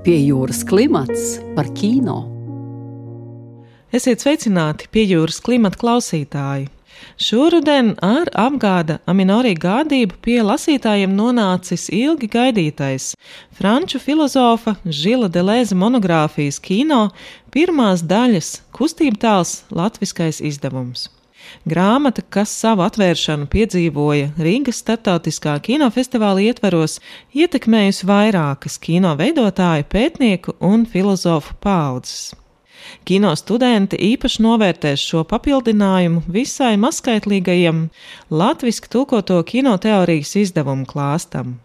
Pie jūras klimats par kino. Esiet sveicināti Pie jūras klimata klausītāji. Šoruden ar apgāda Aminorī gādību pie lasītājiem nonācis ilgi gaidītais franču filozofa Žila Delēza monogrāfijas kino pirmās daļas Kustība tēls latviskais izdevums. Grāmata, kas savu atvēršanu piedzīvoja Rīgas starptautiskā kinofestivāla ietvaros, ietekmējusi vairākas kino veidotāju, pētnieku un filozofu paaudzes. Kino studenti īpaši novērtēs šo papildinājumu visai mazskaitlīgajam latviski tulkoto kinoteorijas izdevumu klāstam.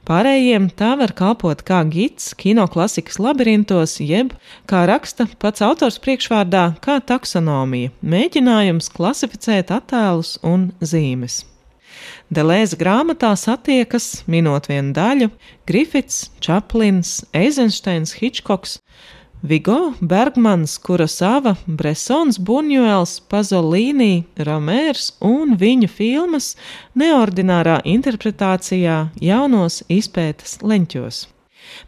Pārējiem tā var kalpot kā gids kinoklasikas labirintos, jeb, kā raksta pats autors priekšvārdā, kā taksonomija, mēģinājums klasificēt attēlus un zīmes. Delēza grāmatā satiekas, minot vienu daļu, Grifits, Čaplins, Eizenšteins, Hičkoks, Vigo, Bergmans, Kurosava, Bresons, Buņuels, Pazolīni, Romērs un viņu filmas neordinārā interpretācijā jaunos izpētes leņķos.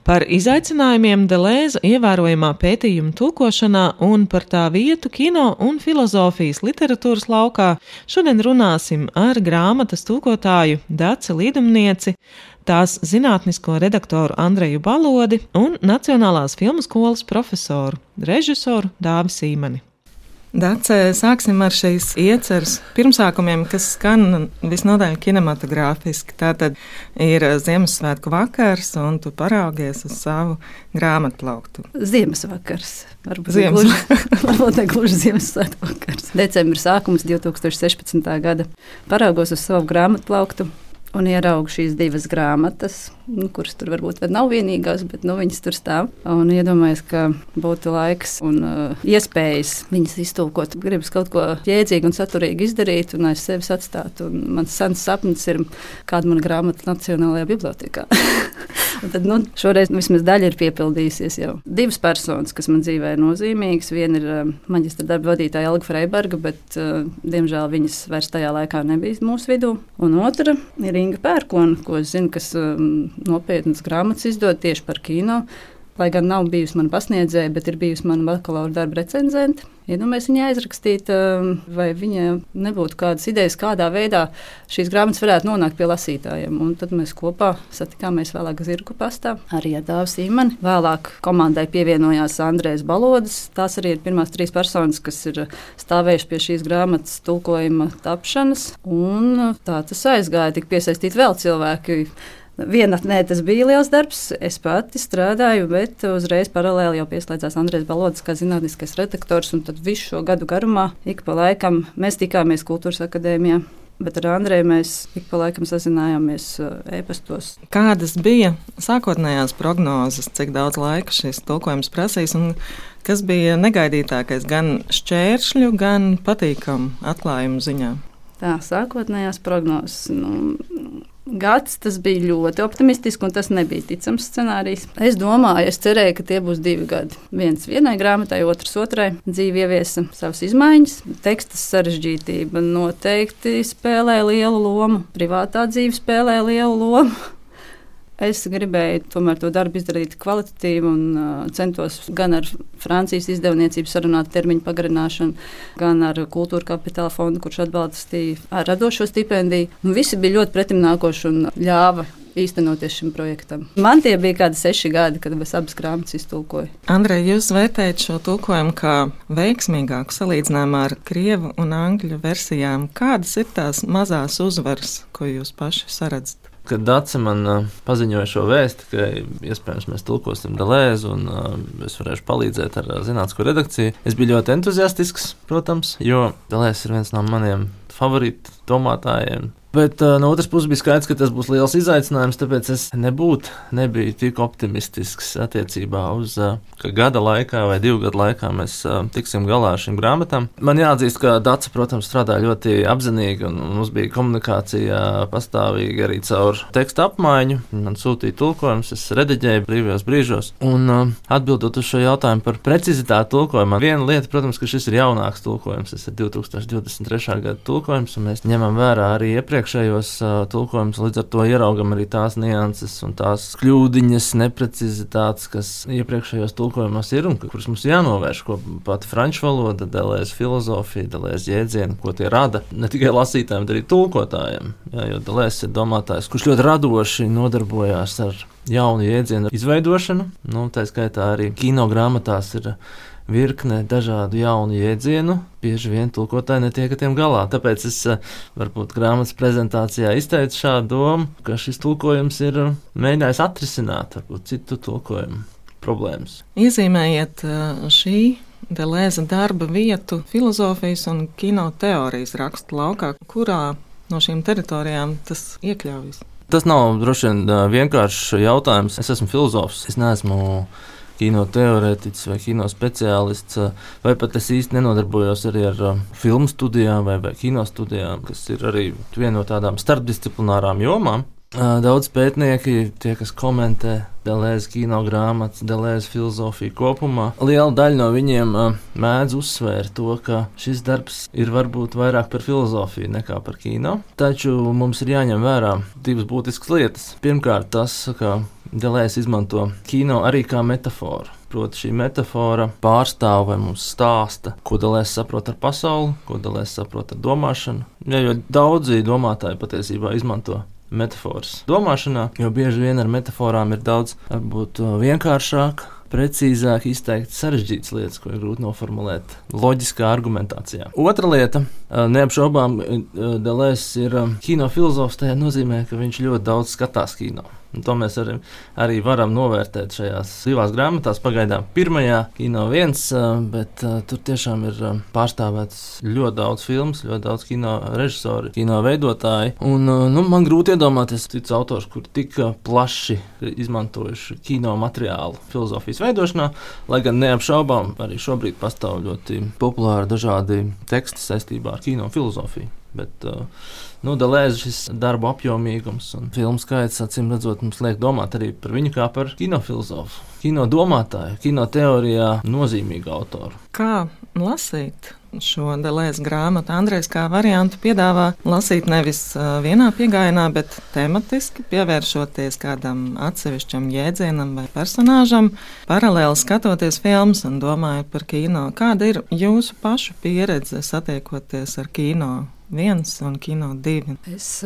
Par izaicinājumiem Delēza ievērojamā pētījuma tulkošanā un par tā vietu kino un filozofijas literatūras laukā šodien runāsim ar grāmatas tulkotāju Daci Līdumnieci, tās zinātnisko redaktoru Andreju Balodi un Nacionālās filmu skolas profesoru, režisoru Dāvi Sīmani. Dace, sāksim ar šīs ieceres pirmsākumiem, kas skan visnotaļ kinematogrāfiski. Tātad ir Ziemassvētku vakars, un tu paraugies uz savu grāmatplauktu. Ziemassvakars. Varbūt ne gluži Ziemassvētku vakars. Decembris sākums 2016. gada. Paraugos uz savu grāmatplauktu un ieraugu šīs divas grāmatas, kuras tur varbūt vēl nav vienīgās, bet viņas tur stāv. Un iedomājos, ka būtu laiks un iespējas viņas iztulkot. Gribas kaut ko jēdzīgu un saturīgu izdarīt un aiz sevis atstāt. Un mans sens sapnis ir, kāda mana grāmata Nacionālajā bibliotekā. Un tad šoreiz vismaz daļa ir piepildījusies jau. Divas personas, kas man dzīvē ir nozīmīgas. Viena ir maģistra darba vadītāja Elga Freiberga, bet diemžēl viņas vairs tajā laikā nebija mūsu vidū. Un otra ir Inga Pērkona, ko es zinu, kas nopietnas grāmatas izdod tieši par kino. Lai gan nav bijusi mana pasniedzēja, bet ir bijusi mana bakalaura darba recenzente. Iedomājies viņai aizrakstīt, vai viņa nebūtu kādas idejas, kādā veidā šīs grāmatas varētu nonākt pie lasītājiem. Un tad mēs kopā satikāmies vēlāk Zirgu pastā, arī ar Dāvi Sīmani. Vēlāk komandai pievienojās Andrejs Balodas. Tās arī ir pirmās 3 personas, kas ir stāvējuši pie šīs grāmatas tulkojuma tapšanas. Un tā tas aizgāja, tik piesaistīt vēl cilvēki. Vienatnē tas bija liels darbs, es pati strādāju, bet uzreiz paralēli jau pieslēdzās Andrejs Balodas kā zinātniskais redaktors, un tad visu šo gadu garumā ik pa laikam mēs tikāmies Kultūras akadēmijā, bet ar Andreju mēs ik pa laikam sazinājāmies e-pastos. Kādas bija sākotnējās prognozes, cik daudz laika šis tulkojums prasīs, un kas bija negaidītākais gan šķēršļu, gan patīkamu atklājumu ziņā? Tā, sākotnējās prognozes, gads tas bija ļoti optimistisks, un tas nebija ticams scenārijs. Es cerēju, ka tie būs 2 gadi. Viens vienai grāmatai, otrs otrai. Dzīve ieviesa savas izmaiņas. Tekstas sarežģītība noteikti spēlē lielu lomu. Privātā dzīve spēlē lielu lomu. Es gribēju tomēr to darbu izdarīt kvalitatīvi un centos gan ar Francijas izdevniecību sarunāt termiņu pagarināšanu, gan ar Kultūra Kapitāla fondu, kurš atbalstīja ar radošo stipendiju. Visi bija ļoti pretimnākoši un ļāva īstenoties šim projektam. Man tie bija kādi 6 gadi, kad es abas grāmatas iztulkoju. Andrej, jūs vērtējat šo tulkojumu kā veiksmīgāku salīdzinājumā ar krievu un angļu versijām. Kādas ir tās mazās uzvaras, ko jūs paši saredzat? Kad Dace man paziņoja šo vēsti, ka iespējams mēs tulkosim Delēzu un es varēšu palīdzēt ar zinātnisko redakciju, es biju ļoti entuziastisks, protams, jo Delēzs ir viens no maniem favorītu domātājiem. Bet no otras puses bija skaidrs, ka tas būs liels izaicinājums, tāpēc es nebiju tik optimistisks attiecībā uz, ka gada laikā vai 2 gadu laikā mēs tiksim galā ar šīm grāmatām. Man jāatzīst, ka Dace, protams, strādāja ļoti apzinīgi, un mums bija komunikācija pastāvīgi arī caur tekstu apmaiņu. Man sūtīja tulkojumus, es rediģēju brīvajos brīžos. Un atbildot uz šo jautājumu par precizitāti tulkojumā, viena lieta, protams, ka šis ir jaunāks tulkojums, tas ir 2023. gada tulkojums, un mēs ņemam vērā arī iepriekš iepriekšējos tulkojumus, līdz ar to ieraugam arī tās nianses un tās kļūdiņas, neprecizitātes, kas iepriekšējos tulkojumos ir un kuras mums jānovērš, ko pati franču valoda, Deleuze filozofija, Deleuze jēdzieni, ko tie rada ne tikai lasītājiem, bet arī tulkotājiem. Jā, jo Deleuze ir domātājs, kurš ļoti radoši nodarbojās ar jaunu jēdzienu izveidošanu. Tā skaitā arī kino grāmatās ir virkne dažādu jaunu jēdzienu, bieži vien tulkotāji netiek ar tiem galā. Tāpēc es varbūt grāmatas prezentācijā izteicu šādu domu, ka šis tulkojums ir mēģinājis atrisināt varbūt citu tulkojumu problēmas. Iezīmējiet šī Deleuze darba vietu filozofijas un kino teorijas rakstu laukā, kurā no šīm teritorijām tas iekļaujas. Tas nav droši vien vienkāršs jautājums. Es esmu filozofs, es neesmu kino teorētiķis vai kino speciālists, vai pat es īsti nenodarbojos arī ar filmu studijām vai kino studijām, kas ir arī viena no tādām starpdisciplinārām jomām. Daudz pētnieki, tie, kas komentē Deleuze kino grāmatas, Deleuze filozofiju kopumā, liela daļa no viņiem mēdz uzsvērt to, ka šis darbs ir varbūt vairāk par filozofiju nekā par kino. Taču mums ir jāņem vērā divas būtiskas lietas. Pirmkārt, tas, ka Deleuze izmanto kino arī kā metaforu. Proti, šī metafora pārstāv vai mums stāsta, ko Deleuze saprot ar pasauli, ko Deleuze saprot ar domāšanu. Jo daudzi domātāji patiesībā izmanto metaforas domāšanā, jo bieži vien ar metaforām ir daudz varbūt vienkāršāk, precīzāk izteikt sarežģītas lietas, ko ir grūti noformulēt loģiskā argumentācijā. Otra lieta, neapšaubām, Deleuze ir kino filozofs, tajā nozīmē, ka viņš ļoti daudz skatās kino. Un to mēs arī varam novērtēt šajās divās grāmatās. Pagaidām pirmajā kino viens, bet tur tiešām ir pārstāvēts ļoti daudz filmas, ļoti daudz kino režisori, kino veidotāji. Un man grūti iedomāties cits autors, kur tik plaši izmantojuši kino materiālu filozofijas veidošanā, lai gan neapšaubām arī šobrīd pastāv ļoti populāri dažādi teksti saistībā ar kino filozofiju. Bet Deleuze šis darbu apjomīgums un filmu skaits, acīm redzot, mums liek domāt arī par viņu kā par kinofilozofu, kino domātāju, kino teorijā nozīmīgu autoru. Kā lasīt šo Deleuze grāmatu? Andrejs kā variantu piedāvā lasīt nevis vienā piegājienā, bet tematiski, pievēršoties kādam atsevišķam jēdzienam vai personāžam, paralēli skatoties filmas un domājot par kino. Kāda ir jūsu pašu pieredze satiekoties ar kino 1 un kino 2? Es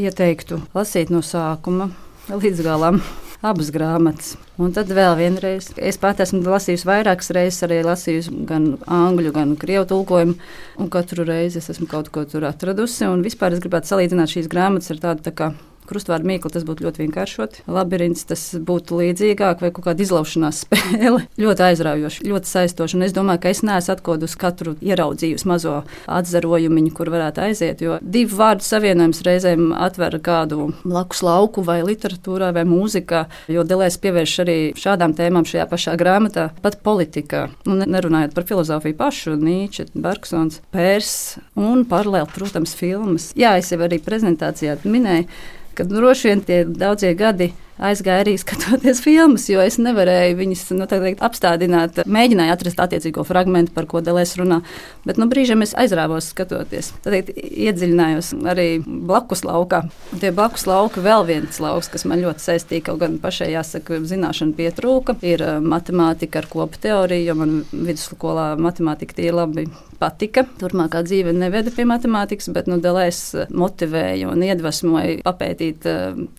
ieteiktu lasīt no sākuma līdz galam abas grāmatas. Un tad vēl vienreiz. Es pat esmu lasījusi vairākas reizes, arī lasījusi gan angļu, gan krievu tulkojumu, un katru reizi es esmu kaut ko tur atradusi. Un vispār es gribētu salīdzināt šīs grāmatas ar tādu tā kā krustvārdu mīklu, tas būtu ļoti vienkāršoti. Labirints tas būtu līdzīgāk, vai kaut kāda izlaušanās spēle. Ļoti aizraujoši, ļoti saistoši. Un es domāju, ka es neesmu atkodusi katru ieraudzījusi mazo atzarojumiņu, kur varētu aiziet, jo divu vārdu savienojums reizēm atver kādu blakus lauku vai literatūrā vai mūzikā, jo Deleuze pievērš arī šādām tēmām šajā pašā grāmatā, pat politikā. Un nerunājot par filozofiju pašu, Nīče, Bergsons, Pērs un paralēli, protams, filmas. Jā, es jau arī prezentācijā minēju, ka droši vien tie daudzie gadi aizgāja arī skatoties filmas, jo es nevarēju viņas apstādināt. Mēģināju atrast attiecīgo fragmentu, par ko Deleuze runā, bet no brīžiem es aizrāvos skatoties. Tad iedziļinājos arī blakus laukā. Un tie blakus lauki vēl viens lauks, kas man ļoti saistīja, kaut gan pašai jāsaka, zināšana pietrūka, ir matemātika ar kopu teoriju, jo man vidusskolā matemātika tie labi patika. Turmākā dzīve neveda pie matemātikas, bet Deleuze motivēja un iedvesmoja papētīt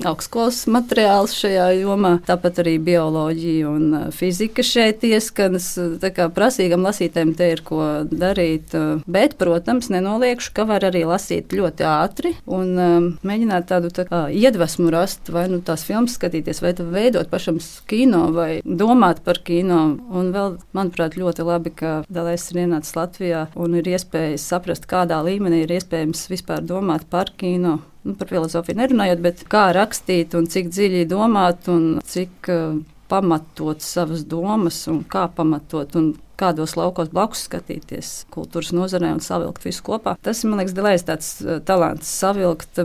augstskolas materiālus šajā jomā. Tāpat arī bioloģija un fizika šeit ieskanas. Tā kā prasīgam lasītājiem te ir ko darīt. Bet, protams, nenoliekšu, ka var arī lasīt ļoti ātri un mēģināt tādu iedvesmu rast, vai tās filmas skatīties, vai veidot pašam kino, vai domāt par kino. Un vēl, manuprāt, ļoti labi, ka Deleuze ir ienācis Latvijā un ir iespējas saprast, kādā līmenī ir iespējams vispār domāt par kino. Par filozofiju nerunājot, bet kā rakstīt un cik dziļi domāt un cik pamatot savas domas un kā pamatot un kādos laukos blakus skatīties kultūras nozarē un savilkt visu kopā. Tas, man liekas, Deleuze tāds talants savilkt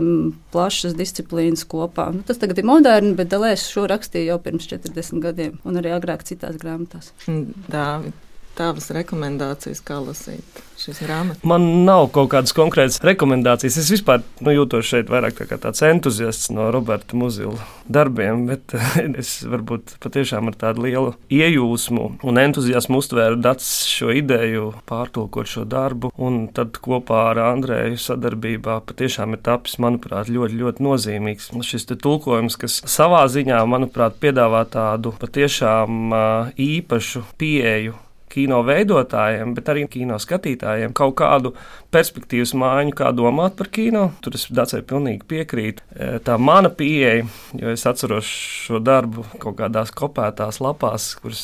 plašas disciplīnas kopā. Tas tagad ir moderni, bet Deleuze šo rakstīja jau pirms 40 gadiem un arī agrāk citās grāmatās. Dāvi, tavas rekomendācijas, kā lasīt? šīs grāmatas? Man nav kaut kādas konkrētas rekomendācijas. Es vispār jūtos šeit vairāk kā tāds entuziasts no Roberta Muzila darbiem, bet es varbūt patiešām ar tādu lielu iejūsmu un entuziasmu uztvēru Dacis šo ideju pārtulkot šo darbu, un tad kopā ar Andreju sadarbībā patiešām ir tapis, manuprāt, ļoti, ļoti nozīmīgs. Šis te tulkojums, kas savā ziņā, manuprāt, piedāvā tādu patiešām īpašu pieeju kino veidotājiem, bet arī kino skatītājiem kaut kādu perspektīvas maiņu, kā domāt par kino. Tur es Dacei pilnīgi piekrītu. Tā mana pieeja, jo es atceros šo darbu kaut kādās kopētās lapās, kuras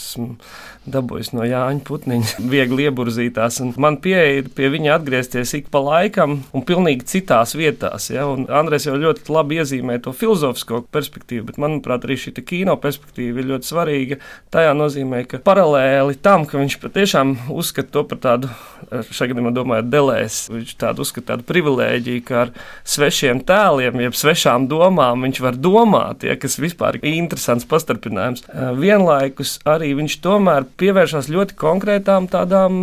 dabūjis no Jāņa Putniņa, viegli ieburzītās, un man pieeja ir pie viņa atgriezties ik pa laikam un pilnīgi citās vietās. Ja? Un Andrejs jau ļoti labi iezīmē to filozofisko perspektīvu, bet manuprāt arī šī kino perspektīva ir ļoti svarīga. Tajā nozīmē, ka paralēli tam, ka viņš patiešām uzskata to par tādu, šajā gadījumā domāju, Delēs, viņš tādu uzskata tādu privilēģiju, ka ar svešiem tēliem, jeb svešām domām viņš var domāt, ja, kas vispār ir interesants pastarpinājums. Vienlaikus arī viņš tomēr pievēršās ļoti konkrētām tādām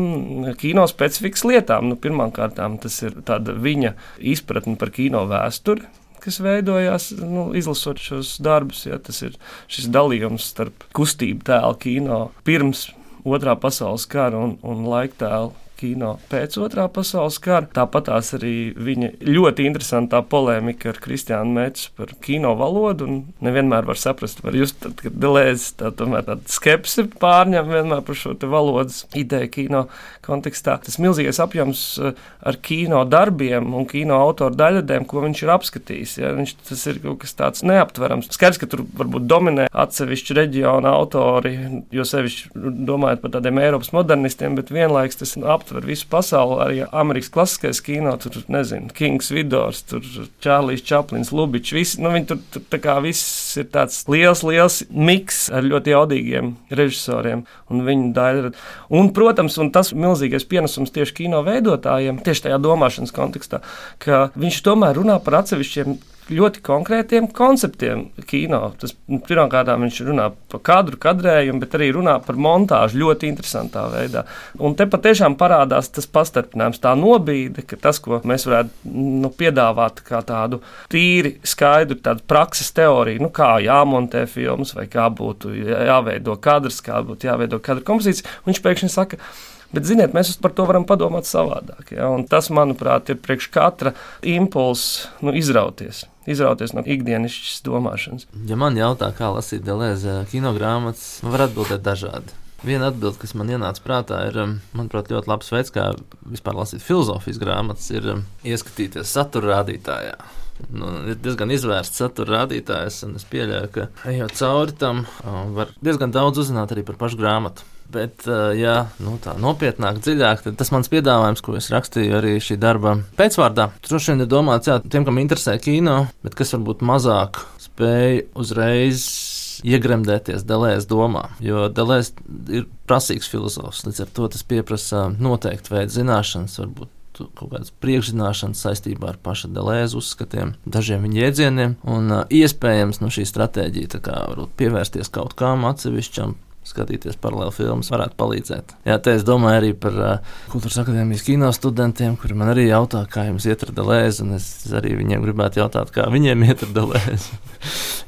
kino specifikas lietām. Pirmkārtām tas ir tāda viņa izpratne par kino vēsturi, kas veidojās, izlasot šos darbus. Ja, tas ir šis dalījums starp kustību tēlu kino pirms Otrā pasaules kara un laiktēlu kino pēc Otrā pasaules kara. Tāpatās arī viņa ļoti interesantā polēmika ar Kristiānu Metsu par kino valodu, un nevienmēr var saprast, var just, ka Delēzes tomēr tāda skepse pārņem vienmēr par šo te valodas ideju kino kontekstā. Tas milzīgais apjoms ar kino darbiem un kino autoru daļradēm, ko viņš ir apskatījis. Ja? Tas ir kaut kas tāds neaptverams. Skaidrs, ka tur varbūt dominē atsevišķi reģiona autori, jo sevišķi domājot par tādiem Eiropas modernistiem, bet vienlaiks tas aptver visu pasauli, arī Amerikas klasiskais kino, tur, nezinu, Kings Vidors, tur Čārlijs Čaplins, Lubičs, visi, viņi tur tā kā viss ir tāds liels miks ar ļoti jaudīgiem režisoriem un viņu daļradu. Un, protams, un tas milzīgais pienesums tieši kino veidotājiem, tieši tajā domāšanas kontekstā, ka viņš tomēr runā par atsevišķiem ļoti konkrētiem konceptiem kino. Tas pirmkārt viņš runā par kadrējumu, bet arī runā par montāžu ļoti interesantā veidā. Un te patiešām parādās tas pastarpinājums, tā nobīde, ka tas, ko mēs varētu piedāvāt kā tādu tīri skaidru tādu prakses teoriju, kā jāmontē filmas vai kā būtu jāveido kadrs, kā būtu jāveido kadra kompozīcija, viņš pēkšņi saka, bet, ziniet, mēs par to varam padomāt savādāk. Ja? Un tas, manuprāt, ir priekš katra impulsa izrauties no ikdienišķas domāšanas. Ja man jautā, kā lasīt Delēza kinogrāmatas, man var atbildēt dažādi. Viena atbilde, kas man ienāca prātā, ir, manuprāt, ļoti labs veids, kā vispār lasīt filozofijas grāmatas, ir ieskatīties satura rādītājā. Ir diezgan izvērsts satura rādītājs, un es pieļauju, ka ejot cauri tam, var diezgan daudz uzzināt arī par pašu grāmatu. Bet, ja tā nopietnāk, dziļāk, tad tas mans piedāvājums, ko es rakstīju arī šī darba pēcvārdā, droši vien ir domāts tiem, kam interesē kino, bet kas varbūt mazāk spēj uzreiz iegremdēties Delēzes domā, jo Delēzes ir prasīgs filozofs, līdz ar to tas pieprasa noteiktu veidu zināšanas, varbūt kaut kādas priekšzināšanas saistībā ar paša Delēzes uzskatiem, dažiem viņa jēdzieniem, un iespējams šī stratēģija tā kā varbūt pievērsties kaut kam atsevišķam, skatīties paralēli filmas varētu palīdzēt. Jā, te es domāju arī par Kultūras akadēmijas kino studentiem, kuri man arī jautā, kā jums iet ar Delēzi, un es arī viņiem gribētu jautāt, kā viņiem iet ar Delēzi.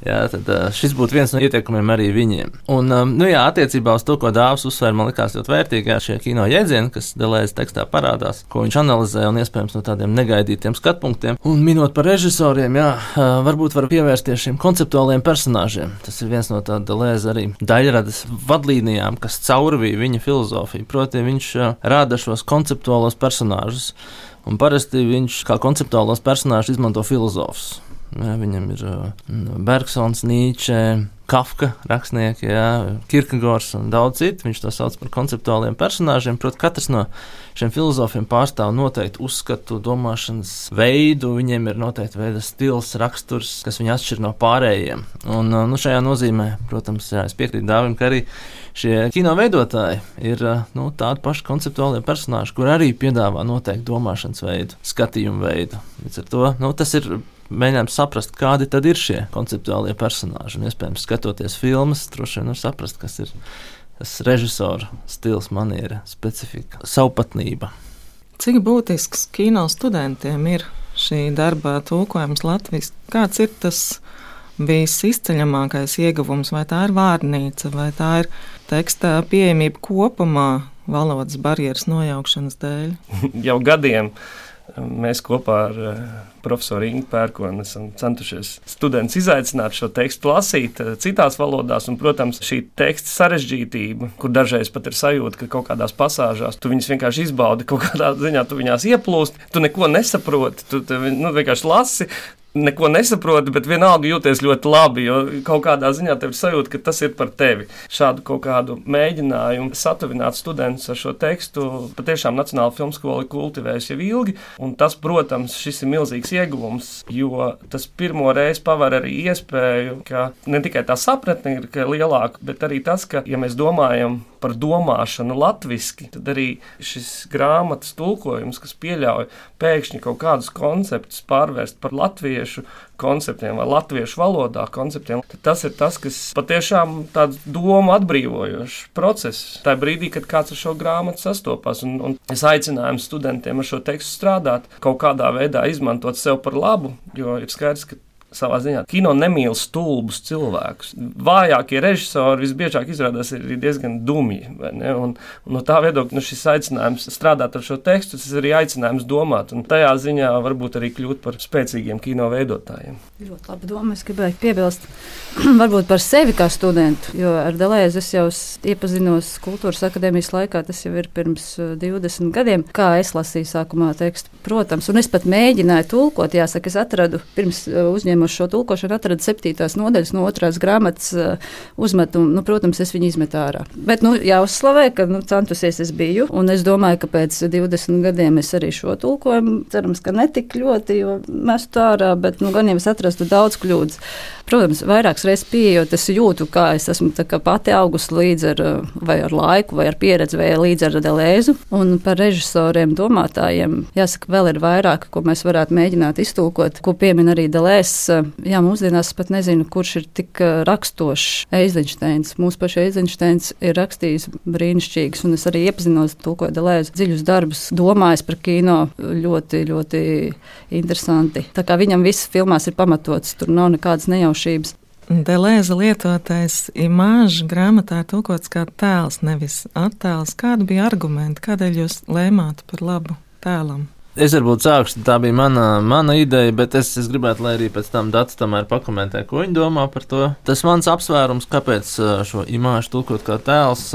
Jā, tad šis būtu viens no ieteikumiem arī viņiem. Un, attiecībā uz to, ko Dāvis uzsver, man likās ļoti vērtīgi šie kino jēdzieni, kas Delēzes tekstā parādās, ko viņš analizē un iespējams no tādiem negaidītiem skatpunktiem. Un minot par režisoriem, varbūt var pievērsties šiem konceptuāliem personāžiem. Tas ir viens no tāda Delēzes arī daļradas vadlīnijām, kas caurvīja viņa filozofiju. Proti, viņš rāda šos konceptuālos personāžus, un parasti viņš kā konceptuālos personāžus izmanto filozofus. Jā, viņam ir Bergsons, Nīče, Kafka rakstnieki, Kierkegaards un daudz citu. Viņš to sauc par konceptuāliem personāžiem. Protams, katrs no šiem filozofiem pārstāv noteiktu uzskatu, domāšanas veidu. Viņiem ir noteikti veida stils, raksturs, kas viņu atšķir no pārējiem. Un šajā nozīmē, protams, es piekrītu Dāvim, ka arī šie kino veidotāji ir tādi paši konceptuālie personāži, kur arī piedāvā noteiktu domāšanas veidu, skatījumu veidu. Līdz ar to tas ir mēģinām saprast, kādi tad ir šie konceptuālie personāži. Un, iespējams, skatoties filmas, droši vien var saprast, kas ir tas režisora stils, maniera, specifika, savpatnība. Cik būtisks kino studentiem ir šī darba tulkojums latviski? Kāds ir tas visizceļamākais ieguvums? Vai tā ir vārnīca, vai tā ir teksta pieejamība kopumā valodas barjeras nojaukšanas dēļ? Jau gadiem mēs kopā ar profesoru Ingu Pērkoni esam centušies studentus izaicināt šo tekstu lasīt citās valodās, un, protams, šī teksta sarežģītība, kur dažreiz pat ir sajūta, ka kaut kādās pasāžās tu viņus vienkārši izbaudi, kaut kādā ziņā tu viņās ieplūst, tu neko nesaproti, tu vienkārši lasi, neko nesaproti, bet vienalga jūties ļoti labi, jo kaut kādā ziņā tev ir sajūta, ka tas ir par tevi. Šādu kaut kādu mēģinājumu satuvināt studentus ar šo tekstu patiešām Nacionāla filmskola kultivējas jau ilgi, un tas, protams, šis ir milzīgs ieguvums, jo tas pirmo reizi paver arī iespēju, ka ne tikai tā sapratne ir lielāka, bet arī tas, ka, ja mēs domājam par domāšanu latviski, tad arī šis grāmatas tulkojums, kas pieļauj pēkšņi kaut kādus konceptus pārvērst par latviešu konceptiem vai latviešu valodā konceptiem, tad tas ir tas, kas patiešām tāds domu atbrīvojošs process. Tā brīdī, kad kāds ar šo grāmatu sastopas, un es aicinājumu studentiem ar šo tekstu strādāt, kaut kādā veidā izmantot sev par labu, jo ir skaidrs, ka savā ziņā kino nemīl stulbus cilvēkus. Vājākie režisori visbiežāk izrādās ir diezgan dumji, vai ne? Un no tā viedokļa šis aicinājums strādāt ar šo tekstu, tas ir arī aicinājums domāt, un tajā ziņā varbūt arī kļūt par spēcīgiem kino veidotājiem. Ļoti labi doma, es gribēju piebilst varbūt par sevi kā studentu, jo ar Delēzi es jau iepazinos Kultūras akadēmijas laikā, tas jau ir pirms 20 gadiem, kā es lasīju sākumā tekstu. Protams, un es pat mēģināju tulkot, jāsaka, es atradu pirms uzņēmuši šo tulkošanu, atradu 7. nodaļas no 2. grāmatas uzmetumu. Protams, es viņu izmetu ārā. Bet jāuzslavē, ka centusies es biju, un es domāju, ka pēc 20 gadiem es arī šo tulkojumu, cerams, ka netik ļoti, jo mestu ārā, bet gan jau es atrastu daudz kļūdas. Protams, vairākas reizes pieejot, es jūtu, kā es esmu kā pati augusi līdz ar laiku, vai ar pieredzi, vai līdz ar Delēzu. Un par režisoriem, domātājiem, jāsaka, vēl ir vairāk, ko mēs varētu mēģināt iztulkot, ko piemin arī Delēzs. Jā, mūsdienās pat nezinu, kurš ir tik rakstošs. Eizenšteins. Mūsu paša Eizenšteins ir rakstījis brīnišķīgs, un es arī iepazinos, tulkoju Delēzu dziļus darbus, domājis par kino ļoti, ļoti interesanti. Tā kā viņam viss filmās ir pamatots, tur nav nekādas nejaušības. Delēza lietotais imāžs grāmatā ir tulkots kā tēls, nevis attēls. Kādi bija argumenti, kādēļ jūs lēmāt par labu tēlam? Es varbūt sākšu, tā bija mana ideja, bet es gribētu, lai arī pēc tam Dats tomēr pakomentē, ko viņi domā par to. Tas mans apsvērums, kāpēc šo imāžu tulkot kā tēls,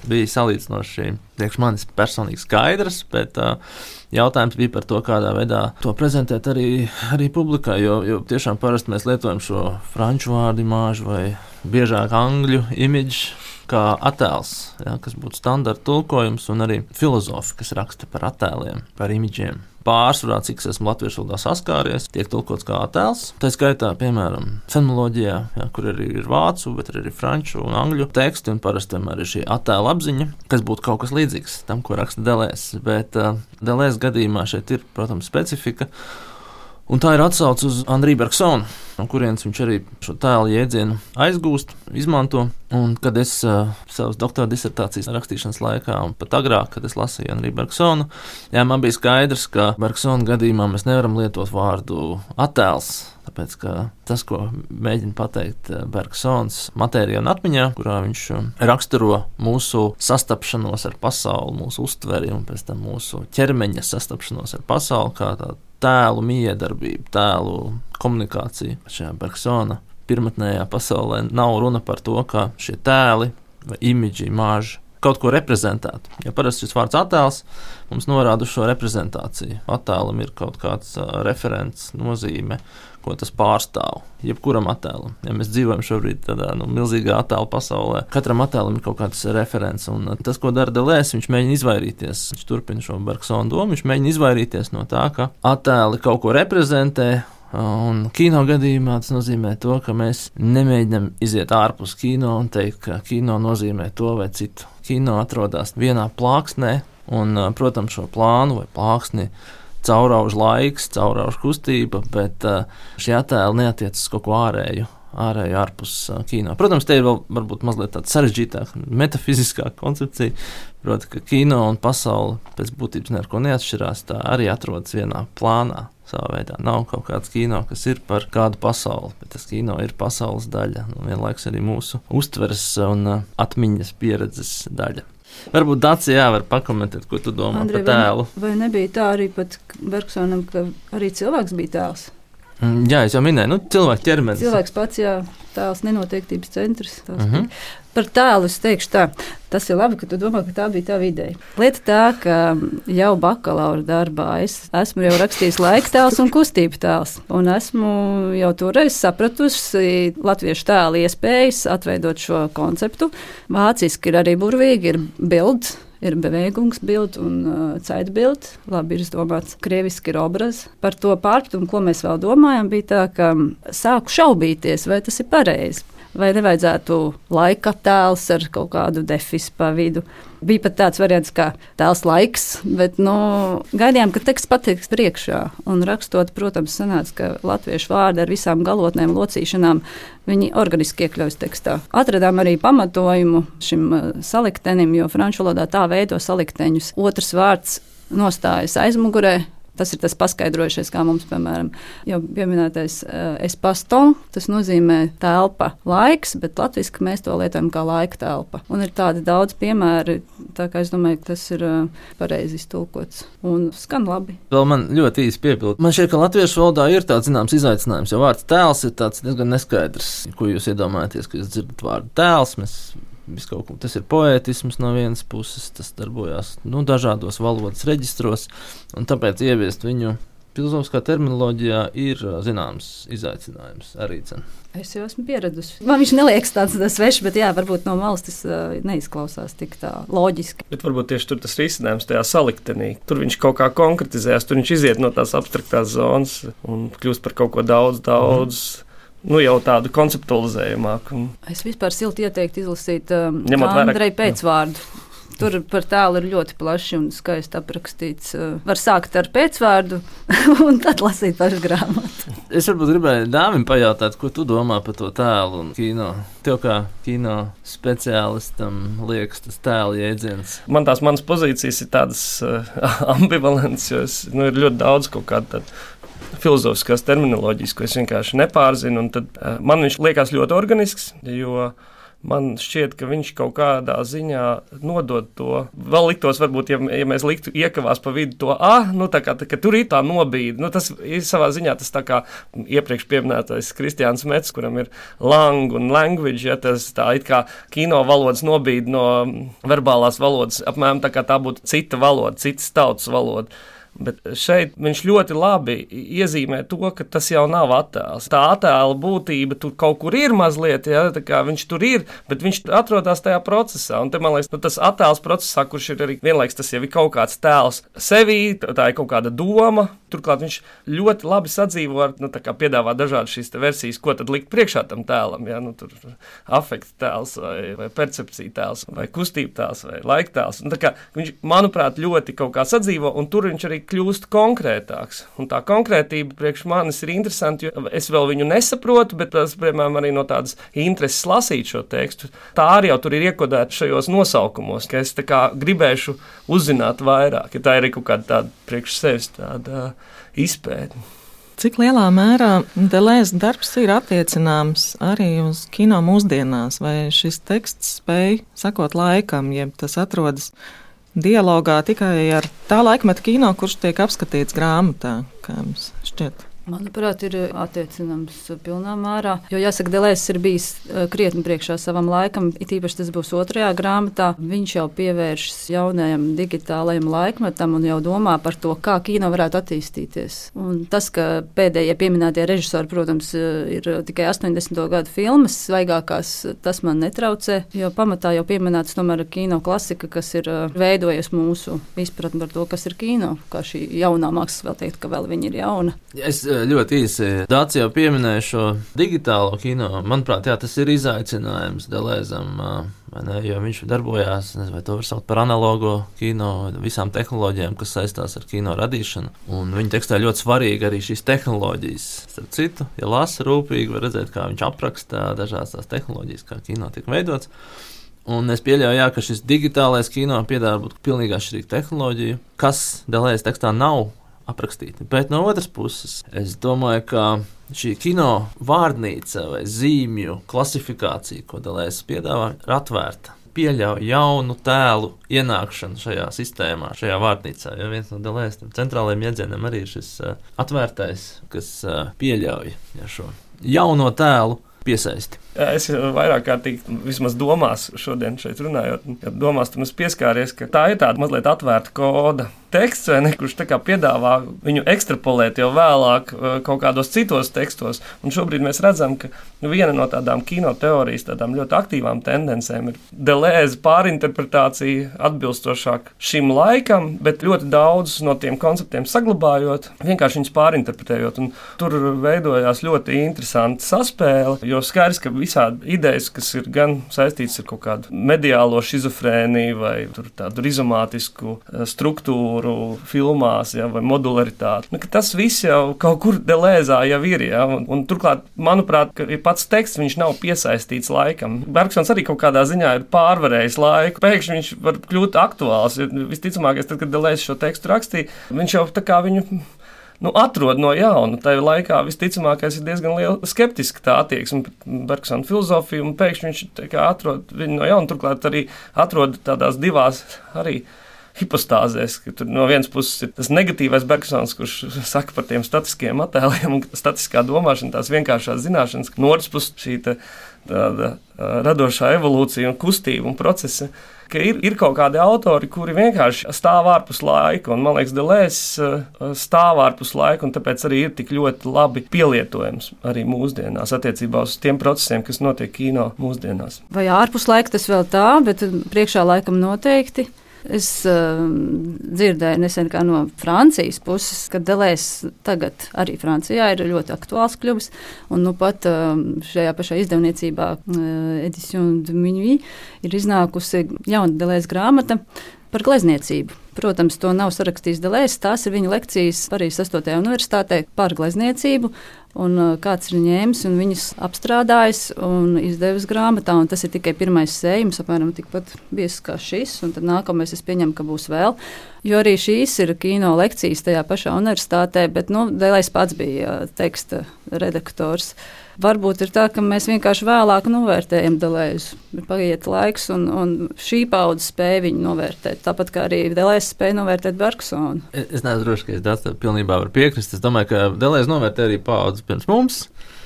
bija salīdzinoši priekš manis personīgi skaidrs, bet jautājums bija par to, kādā veidā to prezentēt arī publikai, jo tiešām parasti mēs lietojam šo franču vārdu imāžu vai biežāk angļu imidžu kā attēls, kas būtu standarta tulkojums, un arī filozofi, kas raksta par attēliem, par imidžiem. Pārsvarā, cik es esmu latviešu valodā saskāries, tiek tulkots kā attēls. Tā skaitā, piemēram, fenoloģijā, kur arī ir vācu, bet arī franču un angļu teksti, un parasti vienmēr ir šī attēla apziņa, kas būtu kaut kas līdzīgs tam, ko raksta Delēzs. Bet Delēzs gadījumā šeit ir, protams, specifika, un tā ir atsauce uz Henri Bergsonu, no kurienes viņš arī šo tēlu jēdzienu aizgūst, izmanto. Un kad es savas doktora disertācijas rakstīšanas laikā, un pat agrāk, kad es lasīju Henri Bergsonu, man bija skaidrs, ka Bergsona gadījumā mēs nevaram lietot vārdu attēls, tāpēc, ka tas, ko mēģina pateikt Bergsons matērijā un atmiņā, kurā viņš raksturo mūsu sastapšanos ar pasauli, mūsu uztveri un pēc tam mūsu ķermeņa sastapšanos ar pasauli, kā tā tēlu miedarbība, tēlu komunikācija. Šajā Bergsona pirmatnējā pasaulē nav runa par to, ka šie tēli vai imidži, imāži kaut ko reprezentētu. Ja parasti šis vārds attēls mums norāda uz šo reprezentāciju. Attēlam ir kaut kāds referents, nozīme, ko tas pārstāv. Jebkuram attēlam. Ja mēs dzīvojam šobrīd tādā milzīgā attēlu pasaulē, katram attēlam ir kaut kāds referents. Un tas, ko dara Delēzs, viņš mēģina izvairīties. Viņš turpina šo Bergsona domu, viņš mēģina izvairīties no tā, ka attēli kaut ko reprezentē. Un kino gadījumā tas nozīmē to, ka mēs nemēģinām iziet ārpus kino un teikt, ka kino nozīmē to vai citu. Kino atrodas vienā plāksnē, un, protams, šo plānu vai plāksni caurauž laiks, caurauž kustība, bet šie attēli neatiecas kaut ko ārēju. ārēju ārpus kino. Protams, te ir vēl varbūt mazliet tāda sarežģītāka, metafiziskāka koncepcija, proti, ka kino un pasaule pēc būtības neko neatšķirās, tā arī atrodas vienā plānā. Savā veidā nav kaut kāds kino, kas ir par kādu pasauli, bet tas kino ir pasaules daļa, un vienlaiks arī mūsu uztveres un atmiņas pieredzes daļa. Varbūt Dacija var pakomentēt, ko tu domā par tēlu. Vai nebija tā arī pat Bergsonam, ka arī cilvēks bija tēls? Jā, es jau minēju, cilvēka ķermenis. Cilvēks pats, jā, tēls nenoteiktības centrs. Par tēlu es teikšu tā, tas ir labi, ka tu domā, ka tā bija tā ideja. Lieta tā, ka jau bakalaura darbā es esmu jau rakstījis laika tēls un kustību tēls. Un esmu jau toreiz sapratusi latviešu tēlu iespējas atveidot šo konceptu. Vāciski ir arī burvīgi, ir bilds. Ir Bewegungsbild un Zeitbild. Labi ir izdomāts. Krieviski ir obraz. Par to pārpratumu, ko mēs vēl domājam, bija tā, ka sāku šaubīties, vai tas ir pareizi. Vai nevajadzētu laika tēls ar kaut kādu defisu pa vidu. Bija pat tāds variants kā tēls laiks, bet gaidījām, ka teksts pateiks priekšā. Un rakstot, protams, sanāca, ka latviešu vārdi ar visām galotnēm, locīšanām, viņi organiski iekļaujas tekstā. Atradām arī pamatojumu šim saliktenim, jo franču valodā tā veido salikteņus. Otrs vārds nostājas aizmugurē. Tas ir tas paskaidrojušais, kā mums, piemēram, jau pieminētais espace-temps. Tas nozīmē telpa, laiks, bet latviski mēs to lietojam kā laika telpa. Un ir tādi daudz piemēri, tā kā es domāju, ka tas ir pareizi iztulkots un skan labi. Vēl man ļoti īsi piebildu. Man šķiet, ka latviešu valodā ir tāds zināms izaicinājums, jo vārds tēls ir tāds diezgan neskaidrs. Ko jūs iedomājaties, ka jūs dzirdat vārdu tēls? Tas ir poētisms no vienas puses, tas darbojās dažādos valodas reģistros, un tāpēc ieviest viņu filozofiskā terminoloģijā ir zināms izaicinājums arī. Es jau esmu pieradusi. Man viņš neliekas tāds svešs, bet varbūt no malas tas neizklausās tik tā loģiski. Bet varbūt tieši tur tas risinājums tajā saliktenī. Tur viņš kaut kā konkretizējas, tur viņš iziet no tās abstraktās zonas un kļūst par kaut ko daudz. Jau tādu konceptualizējumāku. Es vispār silti ieteiktu izlasīt Andreja pēcvārdu. Tur par tēlu ir ļoti plaši un skaisti aprakstīts. Var sākt ar pēcvārdu un tad lasīt pašu grāmatu. Es varbūt gribēju Dāvim pajautāt, ko tu domā par to tēlu un kino. Tev kā kino speciālistam liekas tas tēla jēdziens? Manas pozīcijas ir tādas ambivalents, jo ir ļoti daudz kaut kāda filozofiskās terminoloģijas, ko es vienkārši nepārzinu. Tad man viņš liekas ļoti organisks, jo man šķiet, ka viņš kaut kādā ziņā nodod to. Vēl liktos, varbūt, ja mēs liktu iekavās pa vidu to ka tur ir tā nobīde. Tas ir savā ziņā tas tā kā iepriekš pieminētais Kristiāns Mets, kuram ir lang un language, tas tā it kā kino valodas nobīde no verbālās valodas, apmēram tā kā tā būtu cita valoda, citas tautas valoda. Bet šeit viņš ļoti labi iezīmē to, ka tas jau nav attēls. Tā attēla būtība tur kaut kur ir mazliet, tā kā viņš tur ir, bet viņš atrodas tajā procesā. Un te, man liekas, tas attēls procesā, kurš ir arī vienlaiks, tas jau ir kaut kāds tēls sevī, tā ir kaut kāda doma. Turklāt viņš ļoti labi sadzīvo ar, piedāvā dažādas šīs versijas, ko tad likt priekšā tam tēlam. Tur afekta tēls vai percepcija tēls vai kustība tēls vai laika tēls. Viņš, manuprāt, ļoti kaut kā sadzīvo, un tur viņš arī kļūst konkrētāks. Un tā konkrētība priekš manis ir interesanti, jo es vēl viņu nesaprotu, bet tas, piemēram, arī no tādas intereses lasīt šo tekstu. Tā arī jau tur ir iekodēta šajos nosaukumos, ka es gribēšu uzzināt vairāk, ja tā ir kaut kāda tāda priekš sevis tāda izpēte. Cik lielā mērā Delēzes darbs ir attiecināms arī uz kino mūsdienās? Vai šis teksts spēj sakot laikam, jeb tas atrodas dialogā tikai ar tā laikmeta kino, kurš tiek apskatīts grāmatā, kā jums šķiet? Manuprāt, ir attiecināms pilnā mērā, jo jāsaka, Delēzes ir bijis krietni priekšā savam laikam, it īpaši tas būs otrajā grāmatā. Viņš jau pievēršas jaunajam digitālajam laikmetam un jau domā par to, kā kino varētu attīstīties. Un tas, ka pēdējie pieminētie režisori, protams, ir tikai 80. gadu filmas, svaigākās, tas man netraucē, jo pamatā jau pieminēts tomēr kino klasika, kas ir veidojusi mūsu izpratni par to, kas ir kino, kā šī jaunā mākslas vēl teikt, ka vēl viņa ir jauna. Es ļoti īsi. Dācis jau pieminēja šo digitālo kino. Manuprāt, jā, tas ir izaicinājums Delēzam, jo viņš darbojās, nezinu, vai to var saukt par analogo kino, visām tehnoloģijām, kas saistās ar kino radīšanu. Un viņa tekstā ļoti svarīgi arī šīs tehnoloģijas. Starp citu, ja lasa rūpīgi, var redzēt, kā viņš apraksta dažās tās tehnoloģijas, kā kino tiek veidots. Un es pieļauju, ka šis digitālais kino piedāvā būt pilnīgi atšķirīgu tehnoloģiju, kas Delēzes tekstā nav aprakstīti. Bet no otras puses, es domāju, ka šī kino vārdnīca vai zīmju klasifikācija, ko Delēzes piedāvā, ir atvērta. Pieļauj jaunu tēlu ienākšanu šajā sistēmā, šajā vārdnīcā. Jo viens no Delēzes centrālajiem iedzieniem arī ir šis atvērtais, kas pieļauj šo jauno tēlu piesaisti. Es vairāk kārtīgi, vismaz domās šodien šeit runājot, domās tam es pieskāries, ka tā ir tāda mazliet atvērta koda teksts, vai ne, kurš tā kā piedāvā viņu ekstrapolēt jau vēlāk kaut kādos citos tekstos. Un šobrīd mēs redzam, ka viena no tādām kino teorijas, tādām ļoti aktīvām tendencēm ir Delēze pārinterpretācija atbilstošāk šim laikam, bet ļoti daudz no tiem konceptiem saglabājot, vienkārši viņus pārinterpretējot. Un tur veidojās ļoti interesanta saspēle, jo skaidrs, ka visādi idejas, kas ir gan saistītas ar kaut kādu mediālo šizofrēniju vai tādu rizomātisku struktūru filmās, ja, vai modularitāti. Tas viss jau kaut kur Delēzā jau ir. Ja, un turklāt, manuprāt, ka pats teksts viņš nav piesaistīts laikam. Bergsons arī kaut kādā ziņā ir pārvarējis laiku. Pēkšņi viņš var kļūt aktuāls. Visticamākais, tad, kad Delēze šo tekstu rakstīja, viņš jau tā kā viņu atrod no jauna. Tajā laikā visticamākais ir diezgan liela skeptiska tā attieksme pret Bergsona filozofiju, un pēkšņi viņš atrod viņu no jauna, turklāt arī atrod tādās divās arī hipostāzēs, ka tur no vienas puses ir tas negatīvais Bergsons, kurš saka par tiem statiskiem attēliem un statiskā domāšana, tās vienkāršās zināšanas, no otras puses šī tāda radošā evolūcija un kustība un procesa, ka ir kaut kādi autori, kuri vienkārši stāv ārpus laika, un man liekas, Delēzes stāv ārpus laika, un tāpēc arī ir tik ļoti labi pielietojams arī mūsdienās attiecībā uz tiem procesiem, kas notiek kino mūsdienās. Vai ārpus laika tas vēl tā, bet priekšā laikam noteikti. Es dzirdēju nesen kā no Francijas puses, ka Delēzes tagad arī Francijā ir ļoti aktuāls kļuvis, un pat šajā pašā izdevniecībā Edition de Minuit ir iznākusi jauna Delēzes grāmata par glezniecību. Protams, to nav sarakstījis Delēzes, tās ir viņa lekcijas Parīzes 8. universitātē par glezniecību, un kāds ir ņēmis un viņas apstrādājis un izdevis grāmatā, un tas ir tikai pirmais sējums, apmēram tikpat biezs kā šis, un tad nākamais es pieņemu, ka būs vēl, jo arī šīs ir kino lekcijas tajā pašā universitātē, bet, Delēzes pats bija teksta redaktors. Varbūt ir tā, ka mēs vienkārši vēlāk novērtējam Delēzi. Ir paiet laiks, un šī paudze spēja viņu novērtēt. Tāpat kā arī Delēze spēja novērtēt Bergsonu. Es neesmu droši, ka es daudz pilnībā varu piekrist. Es domāju, ka Delēze novērtē arī paudzi pirms mums.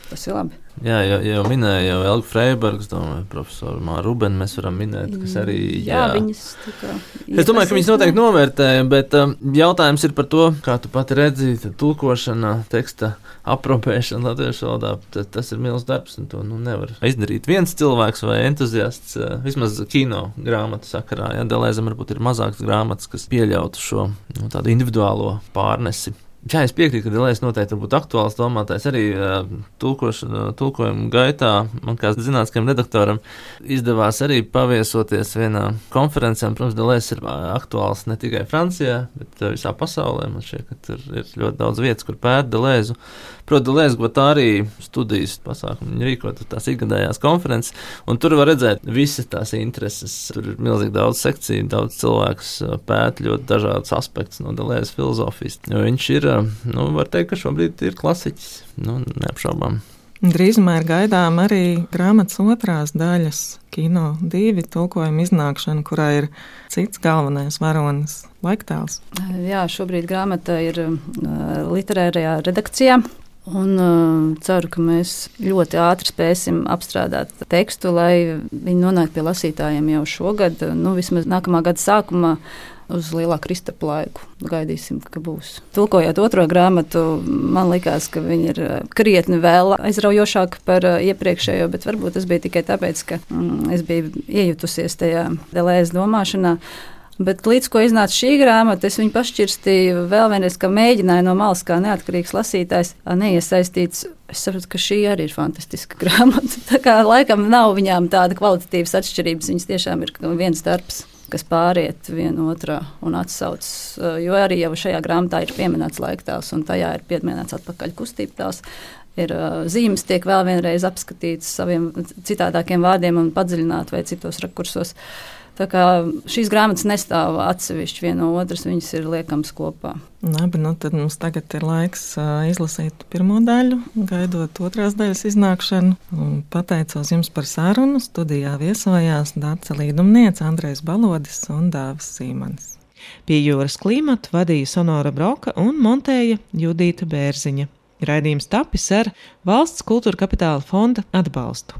Tas ir labi. Jā, jau minēja jau Elga Freibergs, profesoru Māru Rubenu mēs varam minēt, kas arī... Jā, viņas tā kā... Es domāju, ka viņas noteikti novērtēja, bet jautājums ir par to, kā tu pati redzi, tulkošana, teksta aprobēšana latviešu valodā, tas ir milzīgs darbs, un to nevar izdarīt viens cilvēks vai entuziasts, vismaz kino grāmatu sakarā. Ja? Delēzam varbūt ir mazākas grāmatas, kas pieļautu šo tādu individuālo pārnesi. Jā, es piekrītu, ka Delēzes noteikti būtu aktuāls domātājs arī tulkojuma gaitā. Man kā zinātniskajam redaktoram izdevās arī paviesoties vienā konferencē. Protams, Delēzes ir aktuāls ne tikai Francijā, bet visā pasaulē. Man šķiet, ka tur ir ļoti daudz vietas, kur pēta Delēzu. Protams, Delēzes Gvatārī studijas pasākumu viņi rīkot tās ikgadējās konferences, un tur var redzēt visas tās intereses. Tur ir milzīgi daudz sekciju, daudz cilvēkus pēta ļoti dažādas aspektus no Delēzes filozofijas. Jo viņš ir, var teikt, ka šobrīd ir klasiķis, neapšaubām. Drīzumā ir gaidām arī grāmatas otrās daļas, Kino 2 tulkojuma iznākšana, kurā ir cits galvenais varonis laiktēls. Jā, šobrīd grāmata ir literārajā redakcijā. Un ceru, ka mēs ļoti ātri spēsim apstrādāt tekstu, lai viņi nonāk pie lasītājiem jau šogad, vismaz nākamā gada sākumā uz lielā Kristapa laiku. Gaidīsim, ka būs. Tulkojot otro grāmatu, man likās, ka viņi ir krietni vēl aizraujošāki par iepriekšējo, bet varbūt tas bija tikai tāpēc, ka es biju iejutusies tajā Delēzes domāšanā. Bet līdz ko iznāca šī grāmata, es viņu pašķirstīju vēl vienreiz, ka mēģināju no malas kā neatkarīgs lasītājs neiesaistīts. Es saprotu, ka šī arī ir fantastiska grāmata. Tā kā laikam nav viņām tāda kvalitatīvas atšķirības, viņas tiešām ir viens darbs, kas pāriet viena otrā un atsaucas, jo arī jau šajā grāmatā ir pieminēts laiktēls un tajā ir pieminēts atpakaļ kustība tās. Ir zīmes tiek vēl vienreiz apskatītas saviem citādākiem vārdiem un padziļināt vai citos rakursos. Tā kā šīs grāmatas nestāv atsevišķi viena no otras, viņas ir liekamas kopā. Labi, tad mums tagad ir laiks izlasīt pirmo daļu, gaidot otrās daļas iznākšanu. Pateicos jums par sarunu. Studijā viesojās Dace Līdumniece, Andrejs Balodis un Dāvis Sīmanis. Pie jūras klimatu vadīja Sonora Broka un montēja Judīta Bērziņa. Raidījums tapis ar Valsts kultūra kapitāla fonda atbalstu.